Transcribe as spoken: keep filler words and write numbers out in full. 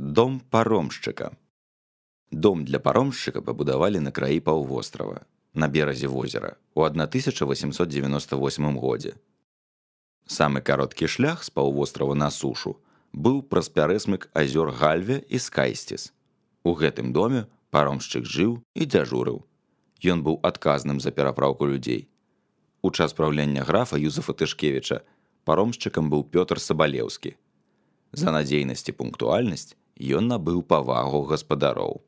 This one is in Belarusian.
Дом паромшчыка. Дом для паромшчыка пабудавалі на краі паўвострава, на беразе возера, у тысяча восемьсот девяносто восьмым годзе. Самы кароткі шлях з паўвострава на сушу быў праз пярэсмык азёр Гальве і Скайсціс. У гэтым доме паромшчык жыў і дзяжурыў. Ён быў адказным за перапраўку людзей. У час праўлення графа Юзефа Тышкевіча паромшчыкам быў Пётр Сабалеўскі. За надзейнасць і пунктуальнасць ён набыў павагу гаспадароў.